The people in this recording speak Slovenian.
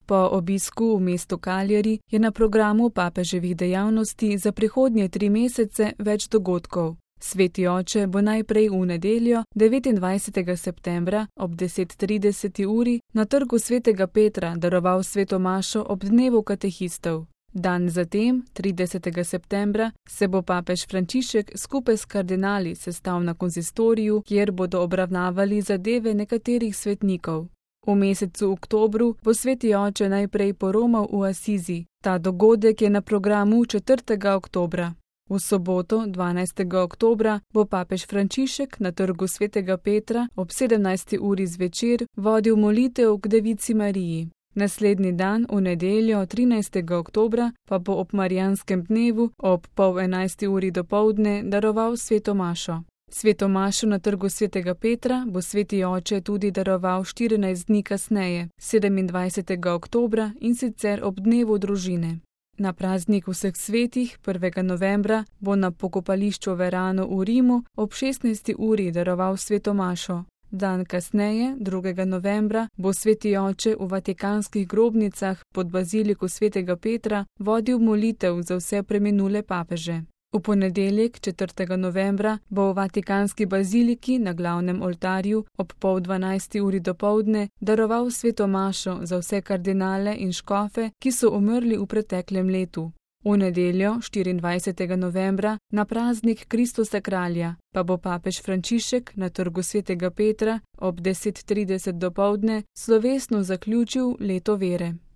Po obisku v mestu Cagliari je na programu papeževih dejavnosti za prihodnje 3 mesece več dogodkov. Sveti oče bo najprej v nedeljo, 29. septembra ob 10:30 uri na trgu svetega Petra daroval sveto mašo ob dnevu katehistov. Dan zatem, 30. septembra, se bo papež Frančišek skupaj s kardinali sestal na konzistoriju, kjer bodo obravnavali zadeve nekaterih svetnikov. V mesecu oktobru bo sveti oče najprej poromal v Asizi. Ta dogodek je na programu 4. oktobra. V soboto, 12. oktobra, bo papež Frančišek na trgu svetega Petra ob 17. uri zvečer vodil molitev k Devici Mariji. Naslednji dan, v nedeljo, 13. oktobra, pa bo ob marijanskem dnevu ob 10:30 uri dopoldne daroval sveto mašo. Sveto mašo na trgu svetega Petra bo sveti oče tudi daroval 14 dni kasneje, 27. oktobra, in sicer ob dnevu družine. Na praznik vseh svetih, 1. novembra, bo na pokopališču Verano v Rimu ob 16. uri daroval sveto mašo. Dan kasneje, 2. novembra, bo sveti oče v vatikanskih grobnicah pod baziliko svetega Petra vodil molitev za vse preminule papeže. V ponedeljek, 4. novembra, bo v vatikanski baziliki na glavnem oltarju ob 11:30 uri dopoldne daroval sveto mašo za vse kardinale in škofe, ki so umrli v preteklem letu. V nedeljo, 24. novembra, na praznik Kristusa kralja, pa bo papež Frančišek na trgu svetega Petra ob 10:30 dopoldne slovesno zaključil leto vere.